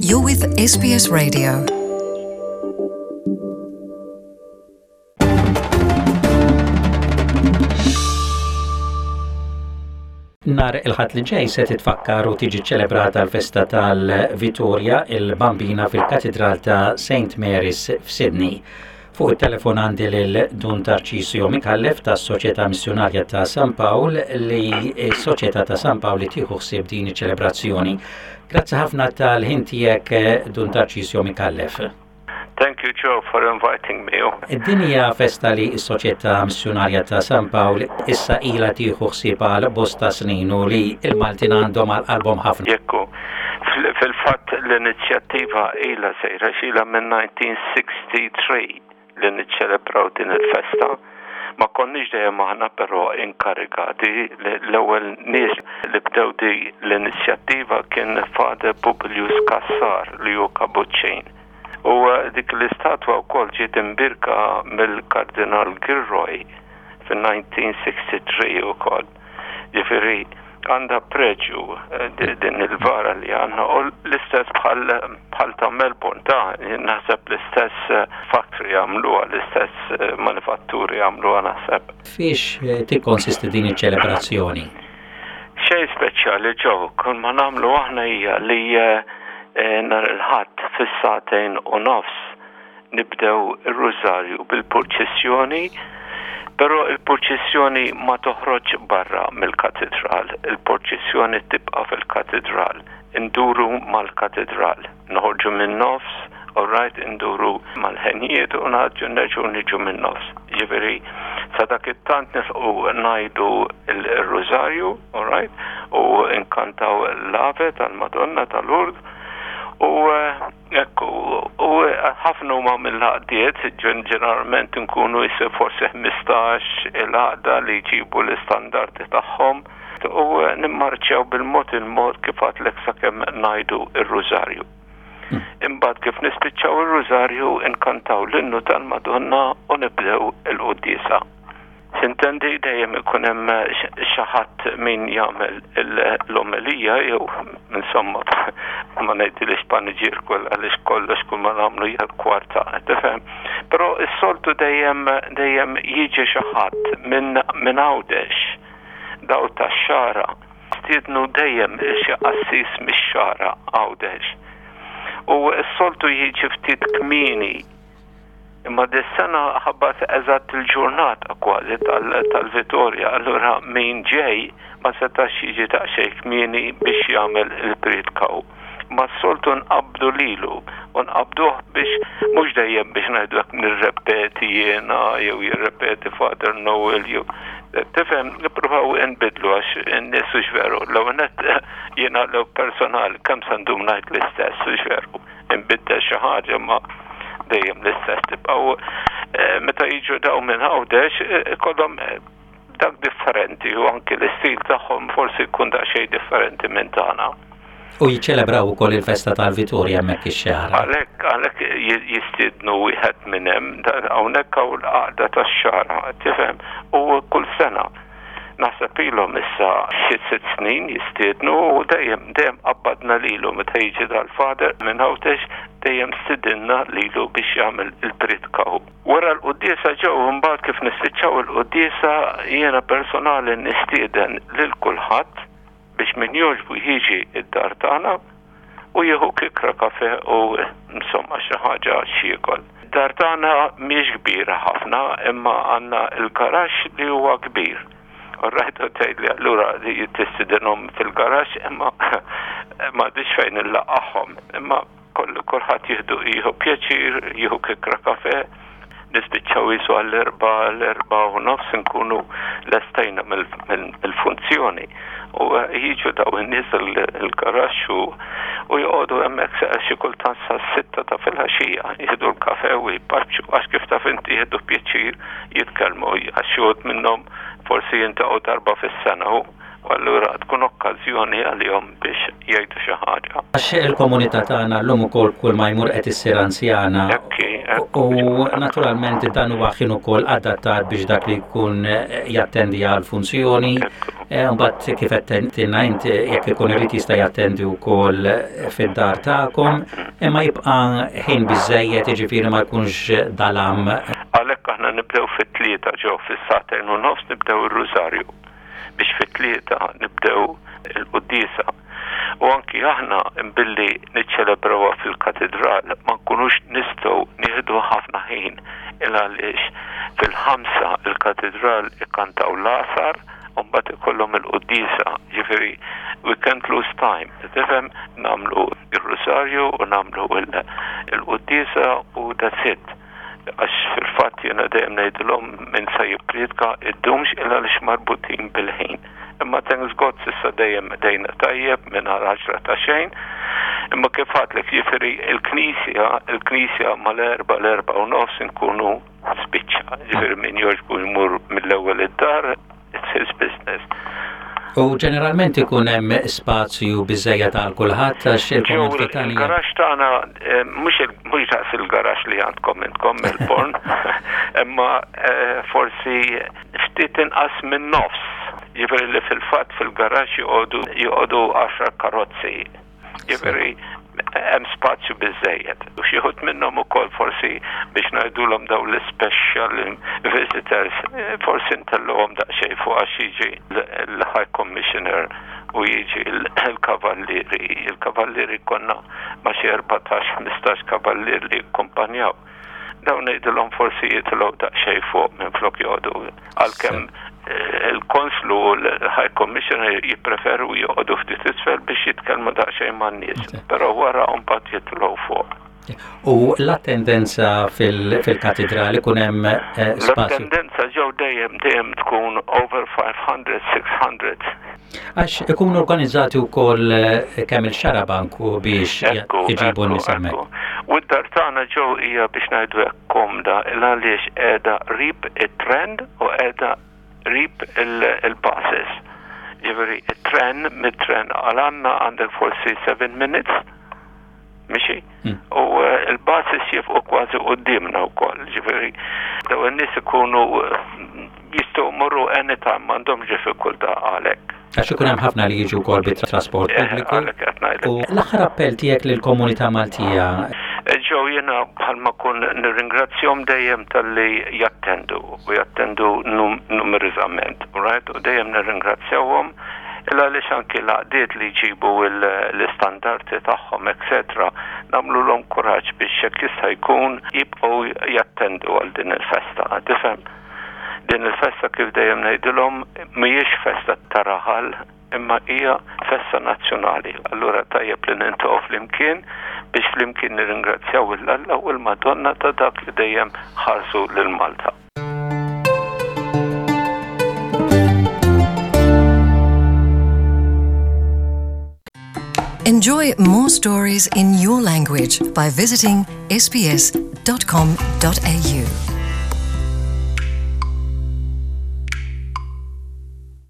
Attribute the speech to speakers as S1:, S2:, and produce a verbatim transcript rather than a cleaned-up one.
S1: You're with S B S Radio.
S2: Nhar il-Ħadd li ġej se titfakkar u tiġi ċelebrata l-festa tal-Vitorja il-Bambina fil-Katedral ta' Saint Mary's f'Sydney. Fuq il-telefon għandi lil Dun Tarcisio Micallef ta' Soċjetà Missjonarja ta' San Pawl, li Soċjetà ta' San Pawl li tieħu ħsieb din iċ-ċelebrazzjoni. Grazzi ħafna tal-ħin tiegħek, Dun Tarcisio Micallef.
S3: Thank you, Joe, for inviting me.
S2: Din hija festa li s-Soċjetà Missjonarja ta' San Pawl issa ilha tieħu ħsieb għal bosta snin u li il-Maltin għandhom għal qalbhom ħafna.
S3: Jekku, fil-fatt l-inizjattiva ilha sejra xila minn elf disa' mija u tlieta u sittin li niċċelebraw din il-festa. Ma konniex dejjem aħna però inkarigati. L-ewwel nies li bdew di l-inizjattiva kien Father Publius Cassar, li hu Kabuċċin. U eh, dik l-istatwa wkoll ġiet imbirka mill-Kardinal Gilroy fil-elf disa' mija u tlieta u sittin ukoll. Ġifieri għandha preġju eh, din il-vara li għandna u l-istess bħal ta' Melbourne, ta' naħseb l-istess eh, factory għamluha, l-istess eh, manifatturi għamluha, naħseb.
S2: Fiex tikkonsisti din iċ-ċelebrazzjoni?
S3: Xejn speċjali, Joe, kull ma nagħmlu aħna hija li nhar il-Ħadd fis-sagħtejn u nofs nibdew ir-rużarju bil-purċissjoni. Però il-purċissjoni ma toħroġ barra mill-katedral, il-purċissjoni tibqa' fil-katedral, induru mal-katedral, noħorġu minn nofs, all right, induru mal-ħenjiet u naġġu nerġgħu niġu minn nofs. Ġifieri, sa dak it-tant nilħqu ngħidu il-rużarju, all right, u nkantaw l-Ave tal-Madonna tal-Lourdes, u ekku, u ħafna huma mill-għaqdiet, ġeneralment nkunu jisir forsi ħmistax il-għaqda li jġibu l-istandardi tagħhom u nimmarċjaw bil-mod il-mod, kif għedtlek, sakemm ngħidu ir-rużarju. Imbagħad kif nispiċċaw ir-rużarju nkantaw l-innu tal-Madonna u nibdew il-quddiesa. Sintendi, dejjem ikun hemm xi ħadd min jagħmel l-omelija jew, insomma, ma ngħidilix paniġierku għaliex kollox kull ma nagħmlu hija kwarta, tifhem. Però s-soltu dejjem dejjem jiġi xi ħadd minn minn Għawdex, daw tax-Xagħra. Stiednu dejjem xi qassis mix-Xagħra, Għawdex. U s-soltu jiġi ftit kmieni. Imma dis-sena ħabat eżatt il-ġurnata kważi tal-Vitorja, allura min ġej ma setax jiġi daqsxejn kmieni biex jagħmel il-priedka. Ma s-soltu nqabdu lilu u nqabduh biex mhux dejjem biex ngħidu nirrepeti jiena jew jirrepeti Father Noel jew, tifhem, nippruvaw nbidlu għax in-nies, hux veru? L-ewwel nett jiena l personal kemm se ndum ngħid l-istess, hux veru? Nbiddel xi ħaġa ma dejjem l-istess tibqgħu. Meta jiġu daw minn Għawdex kollhom dak differenti u anki l-istil tagħhom forsi jkun daqsxejn differenti minn tagħna.
S2: U jiċċelebraw ukoll il-festa tal-Vitorja hemmhekk ix-Xagħra.
S3: Għalhekk għalhekk jistiednu wieħed minn hemm, hawnhekk hawn l-għaqda tax-Xagħra, tifhem, u kull sena naħseb ilhom issa xi sitt snin jistiednu u dejjem dejjem qabbadna lilu meta jiġi dal-father minn Għawdex, dejjem stidinna lilu biex jagħmel il-priedka. Wara l-quddiesa ġew, imbagħad kif nispiċċaw il-quddiesa jiena personali nistieden lil kulħadd biex min jogħġbu jiġi id-dar tagħna u jieħu kikra kafe u, insomma, xi ħaġa x'jiekol. Dar tagħna mhix kbira ħafna, imma għandna il-garaxx li huwa kbir. Rajt tgħid li allura tistidinhom fil-garaxx, imma m'għandix fejn inlaqqagħhom. Imma kulħadd jieħdu jieħu pjaċir, jieħu kikra kafe, nispiċċaw jisu għall-erbgħa, l-erbgħa u nofs nkunu lestejna mill-funzjoni. U jiġu daw in-nies il-garaxx u joqogħdu hemmhekk xi kultant sa sitta ta' filgħaxija, jieħdu l-kafe u jparċu, għax kif taf inti jieħdu pjaċir jitkellmu, għax xi minnhom forsi jiltaqgħu darba fis-sena u allura tkun okkażjoni għalihom biex jgħidu xi ħaġa.
S2: Għax il-komunità tagħna llum ukoll kull ma jmur qed issir anzjana.
S3: Ekki,
S2: U naturalment dan huwa ħin ukoll adattat biex dak li jkun jattendi għal funzjoni. Eh, mbagħad kif qed int, jekk ikun irid, jista' jattendi wkoll fid-dar tagħkom, imma jibqa' ħin biżejjed, jiġifieri ma jkunx dalam.
S3: Għalhekk aħna nibdew fit-tlieta ġew, fis-sagħtejn u nofs nibdew ir-rużarju biex fit-tlieta nibdew il-quddiesa. U anki aħna billi niċċelebrawha fil-katedral ma nkunux nistgħu nieħdu ħafna ħin, il għaliex fil-ħamsa il-katedral ikkantaw l-għasar u mbagħad ikollhom il-quddiesa, ġifieri we can't lose time. Tifhem, nagħmlu il-rosarju u nagħmlu il-quddiesa u that's it. Għax fil-fatt jiena dejjem ngħidilhom min se jippriedka iddumx, illa għaliex marbutin bil-ħin. Imma thanks God s'issa dejjem dejna tajjeb minn għaxra ta' xejn. Imma kif għedtlek, jiġifieri il-knisja, il-knisja mal-erbgħa, l-erbgħa u nofs nkunu spiċċa. Jiġifieri min jogħġbu jmur mill-ewwel id-dar, it's his business.
S2: U ġeneralment ikun hemm spazju biżejjed għal kulħadd, għax il-komunità tagħna.
S3: Il-garaxx tagħna eh, mhux mhux daqs il-garaxx li għandkom intkom Melbourne, imma eh, forsi ftit inqas minn nofs. Jiġifieri li fil-fatt fil-garaxx joqogħdu joqogħdu għaxar karozzi. Jiġifieri hemm spazju biżejjed. U xi wħud minnhom ukoll forsi biex ngħidulhom dawn l-special visitors, eh, forsi ntellgħuhom daqsxejn fuq, għax jiġi l-High Commissioner u jiġi l-kavallieri. Il-kavallieri konna ma xi erbatax, ħmistax kavallier li akkumpanjaw. Dawn ngħidulhom forsi jitilgħu daqsxejn fuq minn flok joqogħdu, għalkemm eh, il-konslu u l-High Commissioner jippreferu joqogħdu ftit isfel biex jitkellmu daqsxejn man-nies, però wara mbagħad jitilgħu fuq.
S2: U l-attendenza fil-katedrali kun hemm eh, spazju?
S3: L-attendenza ġew dejjem dejjem tkun over five hundred, six hundred.
S2: Għax ikunu organizzati wkoll eh, kemm il-xarabank u biex iġibu n-nies hemmhekk.
S3: U d-dar tagħna ġew hija, biex ngħidu hekk, komda, għaliex qiegħda qrib it-tren u qiegħda qrib il-buses. Ġifieri it-tren, mit-tren għal għandna għandek forsi seven minutes mixi. Hmm. U eh, il-buses jieqfu kważi quddiemna wkoll. Ġifieri daw in-nies ikunu eh, jistgħu jmorru anytime, m'għandhomx diffikultà għalhekk.
S2: Għax ikun hemm ħafna li jiġu wkoll bit-trasport
S3: eh,
S2: pubbliku. U l-aħħar appell tiegħek lill-komunità Maltija.
S3: Ġew jiena bħalma kun nirringrazzjahom dejjem talli jattendu u jattendu numerużament, right? U dejjem nirringrazzjahom illa għaliex anki l-għaqdiet li jġibu l-istandardi tagħhom, et cetera, nagħmluhom kuraġġ biex jekk jista' jkun jibqgħu jattendu għal din il-festa. Tifhem? Din il-festa, kif dejjem ngħidilhom, mhijiex festa ta' raħal imma hija festa nazzjonali. Allura tajjeb li niltaqgħu flimkien biex flimkien nirringrazzjaw 'l Alla u l-Madonna ta' dak li dejjem ħarsu lil Malta.
S1: Enjoy more stories in your language by visiting S B S dot com dot A U.